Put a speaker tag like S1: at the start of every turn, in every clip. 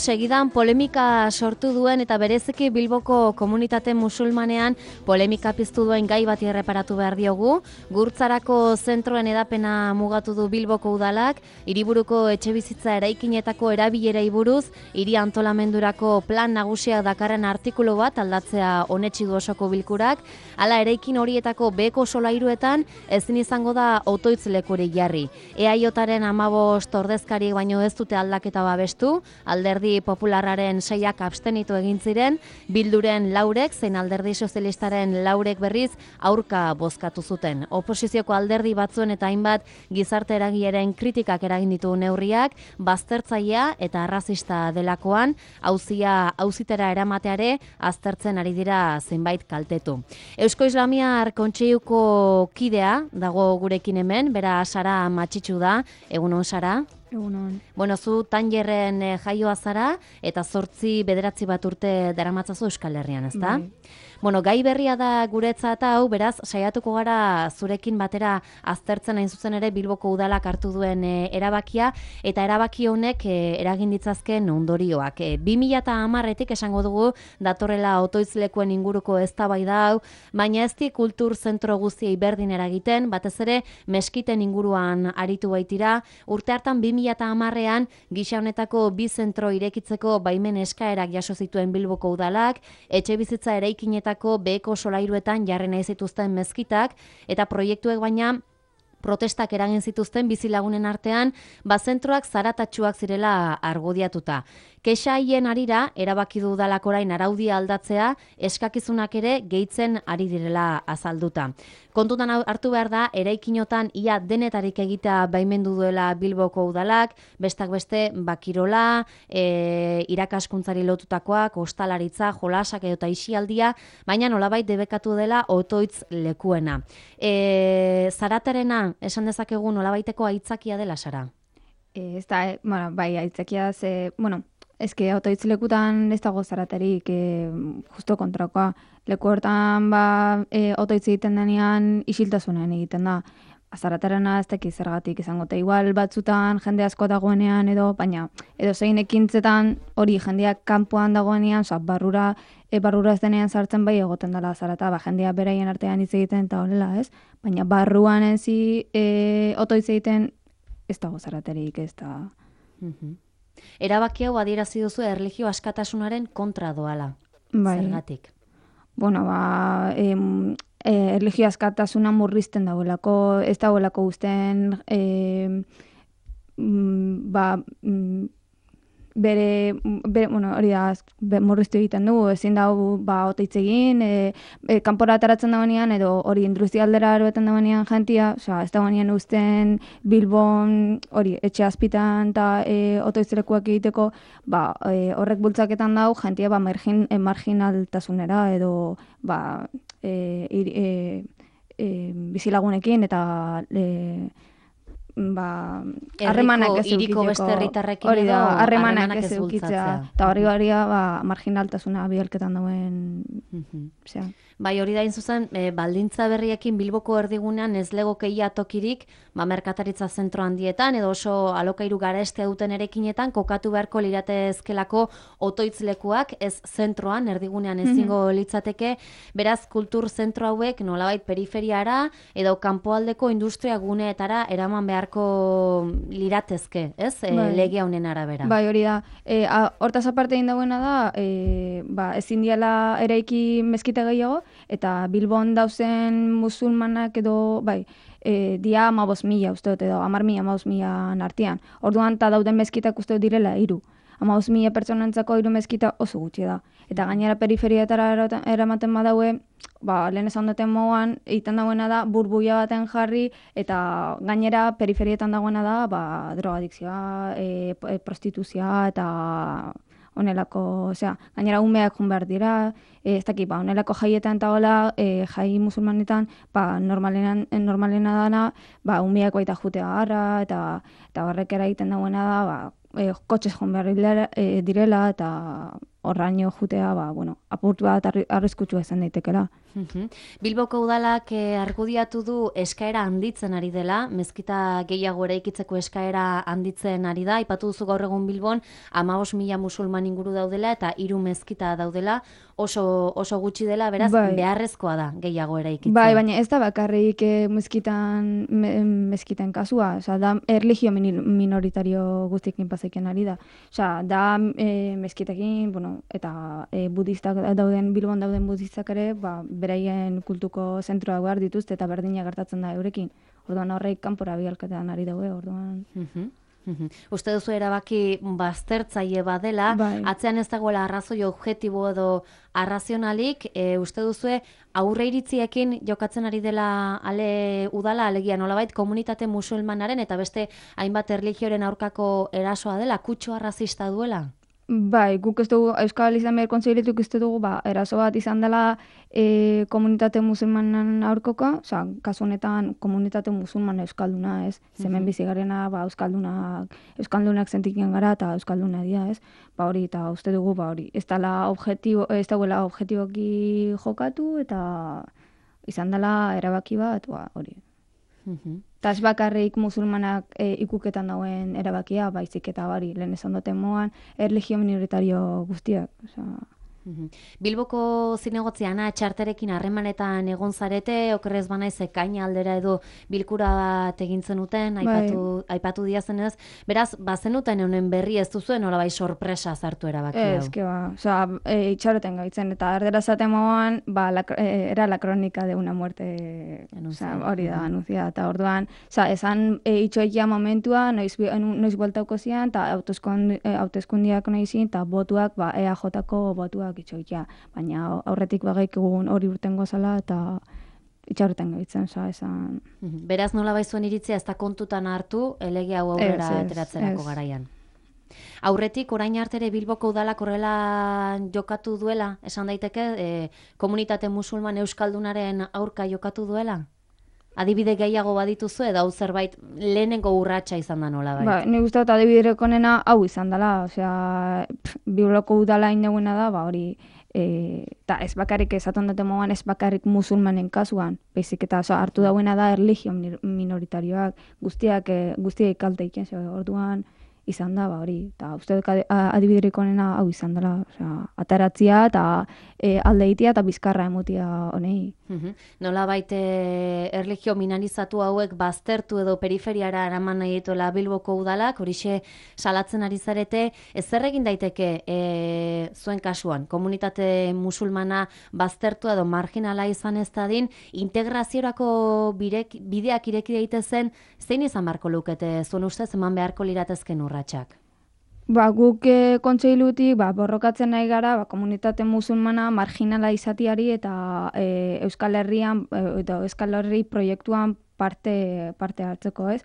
S1: Segidan polemika sortu duen eta bereziki Bilboko komunitate musulmanean polemika piztu duen gai bati erreparatu behar diogu. Gurtzarako zentroen edapena mugatu du Bilboko udalak, hiriburuko etxebizitza eraikinetako erabilerei buruz, hiri antolamendurako plan nagusia dakarren artikulu bat aldatzea onetsi du osoko bilkurak. Hala eraikin horietako beheko solairuetan ezin izango da otoitz lekurik jarri. EAJaren 15 ordezkariek baino ez dute aldaketa babestu, Alderdi Popularraren 6ak abstenitu egin ziren, Bilduren 4ek zein Alderdi Sozialistaren 4ek berriz aurka bozkatu zuten. Oposizioko alderdi batzuen eta hainbat gizarte eragileren kritikak eragin ditu neurriak, baztertzailea eta arrazista delakoan, auzitera eramateare aztertzen ari dira zenbait kaltetu. Eusko Islamiar Kontseiluko kidea dago gurekin hemen, bera Sara Matxitxu da, egunon Sara?
S2: Egunon.
S1: Bueno, zu Tangerren jaioa zara eta 8-9 bat urte daramatzazu Euskal Herrian, ezta?
S2: Bai.
S1: Bueno, gai berria da guretzat hau, beraz, saiatuko gara zurekin batera aztertzen hain zuzen ere Bilboko udalak hartu duen erabakia, eta erabaki honek eragin ditzazken ondorioak. 2010etik esango dugu datorrela otoitzlekuen inguruko eztabaida hau, baina ez di kultur zentro guztiei berdin eragiten, batez ere meskiten inguruan aritu baitira. Urte hartan 2010ean gisa honetako 2 zentro irekitzeko baimen eskaerak jaso zituen Bilboko udalak, etxebizitza eraikinetako beheko solairuetan jarri nahi zituzten mezkitak, eta proiektuek baina protestak eragin zituzten bizilagunen artean, zentroak zaratatsuak zirela argudiatuta. Kexa haien arira, erabaki du udalak orain araudia aldatzea, eskakizunak ere gehitzen ari direla azalduta. Kontutan hartu behar da, eraikinotan ia denetarik egitea baimendu duela Bilboko udalak, bestak beste bakirola, irakaskuntzari lotutakoak, ostalaritza, jolasak edo isialdia, baina nolabait debekatu dela otoitz lekuena. Zaratarena, esan dezakegu nolabaiteko aitzakia dela, Sara?
S2: Ez da, bai, aitzakia eske otoitz lekutan ez dago zaratarik, justo kontrakoa. Leku hortan otoitz egiten denean isiltasunean egiten da. Zaratarena ez dakiz zergatik izango, eta igual batzutan jende asko dagoenean baina edo zein ekintzetan hori jendeak kanpoan dagoenean, barrura ez denean sartzen bai egoten dela zarata, jendea beraien artean hitz egiten eta horrela, ez? Baina barruan enzi otoitz egiten ez dago zaratarik, ez da.
S1: Erabaki hau adierazi duzu erlijio askatasunaren kontra doala.
S2: Bai.
S1: Zergatik?
S2: Bueno, erlijio askatasuna murrizten dagoelako, ez dagoelako guztien hori da, murriztu egiten du, ezin dago otoitz egin, kanpora ataratzen dagoenean, edo hori industrialdera eroeten dagoenean jentia, ez dagoenean uzten Bilbon, hori, etxe azpitan eta otoitzlekuak egiteko, horrek bultzaketan dago, jentia marginaltasunera, edo bizilagunekin eta harremanak ez
S1: hiriko beste herritarrekin
S2: hori da,
S1: edo
S2: harremanak ez edukitzea, eta hori marginaltasuna bialketan dauen,
S1: Bai, hori da zuzen, baldintza berriekin Bilboko erdigunean ez legoke ia tokirik, merkataritza zentro handietan, edo oso alokairu garestea duten erekinetan, kokatu beharko liratezkelako otoitzlekuak, ez zentroan, erdigunean ezingo litzateke, beraz kultur zentro hauek nolabait periferiara, edo kanpoaldeko industria guneetara eraman beharko liratezke, ez? Lege honen arabera.
S2: Bai, hori da. Hortaz aparte egin dagoena da, ezin diala eraiki mezkita gehiago, eta Bilbon dauzen musulmanak edo, dia 15.000 uste dut, edo 10.000-15.000 artean. Orduan, eta dauden mezkitak uste dut direla 3. 15.000 pertsonentzako 3 mezkita oso gutxi da. Eta gainera periferiatara eramaten badaue, lehen esan duten moduan, egiten dagoena da, burbuia baten jarri, eta gainera periferietan dagoena da, drogadikzioa, prostituzioa, eta honelako, gainera umeak jun behar dira, ez dakit, honelako jaietan eta hola, jai musulmanetan, normalena dana, umeak baita jutea garra, eta horrek egiten dagoena da, kotxez jun behar direla, eta horraino jutea, apurtu bat arriskutsua izan daitekela.
S1: Bilboko udalak argudiatu du eskaera handitzen ari dela, mezkita gehiago eraikitzeko eskaera handitzen ari da, aipatu duzu gaur egun Bilbon 15.000 musulman inguru daudela eta 3 mezkita daudela, oso gutxi dela, beraz, beharrezkoa da gehiago eraikitzea.
S2: Bai, baina ez da bakarrik mezkiten kasua, da erlijio minoritario guztiekin pasaiken ari da. Da mezkitekin, eta budistak dauden, Bilbon dauden budistak ere, beraien kultuko zentroa behar dituzte eta berdina gertatzen da eurekin. Orduan horreik kanpora bialketan ari daude, orduan...
S1: Uste duzu erabaki baztertzaile badela, atzean ez dagoela arrazoi objektibo edo arrazionalik, uste duzu aurre iritziekin jokatzen ari dela ale udala, alegia nolabait komunitate musulmanaren eta beste hainbat erlijioaren aurkako erasoa dela, kutsu arrazista duela?
S2: Bai, guk ez dugu, Euskal Islamiar Kontseiletik ez dugu, eraso bat izan dela komunitate musulmanan aurkoka, kasu honetan komunitate musulman euskalduna, ez? Hemen bizi garena, euskaldunak sentiken gara eta euskalduna dira, ez? Hori, eta uste dugu, ez dagoela objektiboki jokatu eta izan dela erabaki bat, hori. Eta ez bakarrik musulmanak ikuketan dauen erabakia, baizik eta lehen esan duten moan, erlijio minoritario guztiak.
S1: Bilboko zinegotzi Ana Txarterekin harremanetan egon zarete, okerrez banaiz ekaina aldera edo bilkura bat egin zenuten, aipatu diazenez, beraz, bazenuten honen berri ez duzuen, nolabait sorpresa zartu erabaki hau.
S2: Itxaroten gaitzen, eta erdera zaten moan, era la kronika de una muerte, hori da, anuncia, eta orduan, esan itxoikia momentua, noiz bueltauko zian, eta hauteskundiak noizin, eta botuak, EAJ-ko botuak itxoikia, baina aurretik bagaik egun hori urten gozala eta itxaroten gaitzen, esan...
S1: Beraz nola baizuen iritzia ez da kontutan hartu, elege hau aurrera ateratzerako garaian. Aurretik, orain artere Bilboko udalak horrela jokatu duela, esan daiteke, komunitate musulman euskaldunaren aurka jokatu duela? Adibide gehiago badituzu edo hau zerbait lehenengo urratsa izan da nolabait?
S2: Ni uste dut adibidereko nena hau izan dela, Bilboko udala indeguna da, hori, eta ez bakarrik esaten dute moan, ez bakarrik musulmanen kasuan, baizik eta hartu dauena da erlijio minoritarioak, guztiak kalte iken, orduan izan da, hori, eta uste dut adibidereko nena hau izan dela, ataratzia eta aldeitia eta bizkarra emutia honei.
S1: Nolabait erlijio minalizatu hauek baztertu edo periferiara eraman nahi dituela Bilboko udalak, horixe salatzen ari zarete, zer egin daiteke zuen kasuan, komunitate musulmana baztertu edo marginala izan ez dadin, integraziorako bideak ireki daitezen, zein izan beharko lukete zuen ustez eman beharko liratezken urratsak?
S2: Guk kontseilutik borrokatzen nahi gara komunitate musulmana marginala izatiari eta Euskal Herrian eta Euskal Herri proiektuan parte hartzeko, ez?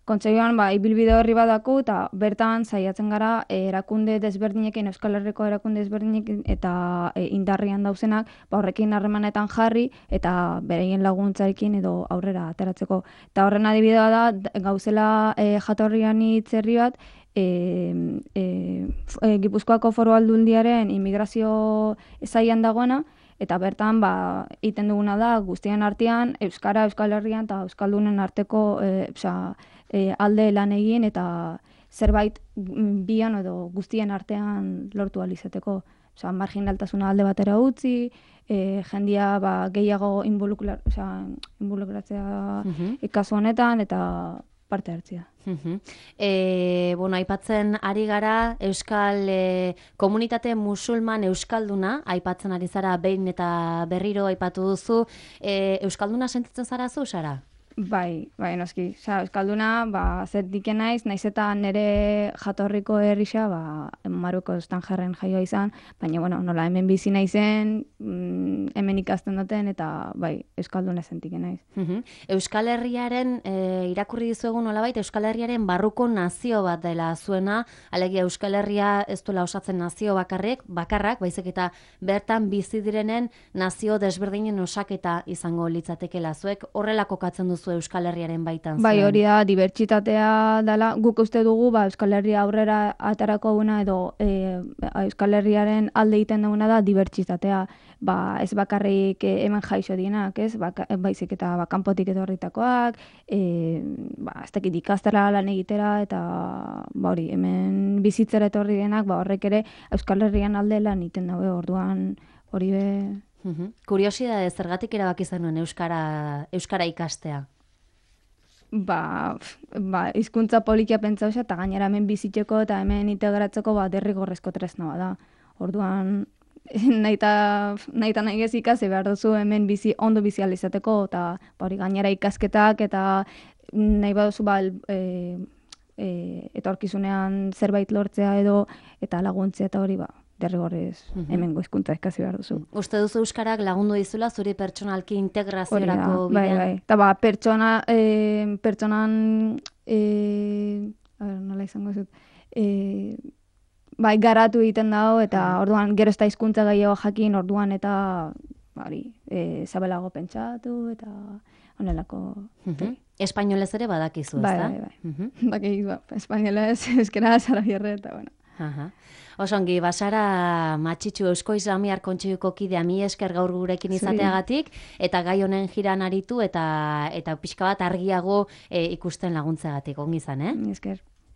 S2: Kontseiluan ibilbide horri badako eta bertan saiatzen gara erakunde desberdinekin, Euskal Herriko erakunde desberdinekin eta indarrian dauzenak horrekin harremanetan jarri eta bereien laguntzarekin edo aurrera ateratzeko. Eta horren adibidea da gauzela jatorrian hitzerri bat, Gipuzkoako Foru Aldundiaren immigrazio zailan dagoena, eta bertan egiten duguna da guztien artean Euskara, Euskal Herrian eta Euskaldunen arteko alde lan egin eta zerbait bian edo guztien artean lortu ahal izateko. Marginaltasuna alde batera utzi, jendia gehiago involukratzea kasu honetan eta parte hartzea.
S1: Aipatzen ari gara Euskal komunitate musulman euskalduna, aipatzen ari zara behin eta berriro aipatu duzu, euskalduna sentitzen zara zu, Sara?
S2: Bai, noski. Euskalduna, zer diken naiz eta nire jatorriko herrisa, Maroko estanjarren jaioa izan, baina, nola hemen bizi naizen, hemen ikasten duten, eta euskalduna sentiken naiz.
S1: Euskal Herriaren, irakurri dizuegu nolabait, Euskal Herriaren barruko nazio bat dela zuena, alegia Euskal Herria ez duela osatzen nazio bakarrak, baizik eta bertan bizi direnen nazio desberdinen osaketa izango litzatekela zuek, horrela kokatzen duzu duzu Euskal Herriaren baitan
S2: Bai,
S1: zuen?
S2: hori da, dibertsitatea dela, guk uste dugu, Euskal Herria aurrera atarako duguna edo Euskal Herriaren alde egiten duguna da dibertsitatea. Ez bakarrik hemen jaixo dienak, ez? Baizik eta kanpotik etorritakoak, ez dakit ikastera lan egitera, eta hori, hemen bizitzera etorri dienak, horrek ere Euskal Herrian alde lan egiten daue, orduan hori be...
S1: Kuriosidade, zergatik erabaki zenuen euskara ikastea?
S2: Hizkuntza polikia pentsa osa, eta gainera hemen bizitzeko eta hemen integratzeko derrigorrezko tresna bada. Orduan, nahi ez ikasi behar duzu hemen ondo bizi ahal izateko, eta hori gainera ikasketak eta nahi baduzu etorkizunean zerbait lortzea edo eta laguntzea eta hori derrigorrez hemengo hizkuntza ikasi behar duzu.
S1: Uste duzu euskarak lagundu dizula zuri pertsonalki integraziorako bidean?
S2: Bai. Eta pertsonan nola izango zut, garatu egiten dago, eta orduan gero ez da hizkuntza gehiago jakin, orduan eta zabelago pentsatu, eta honelako...
S1: Espainolez ere badakizu, ez da?
S2: Bai. Dakizu, espainolez, euskera, zarabierre, eta bueno.
S1: Osongi, Basara Matxitxu Eusko Islamiar Kontseiluko kidea, mi esker gaur gurekin izateagatik, eta gai honen jiran aritu, eta pixka bat argiago ikusten laguntzeagatik, ongi izan,
S2: Mi esker.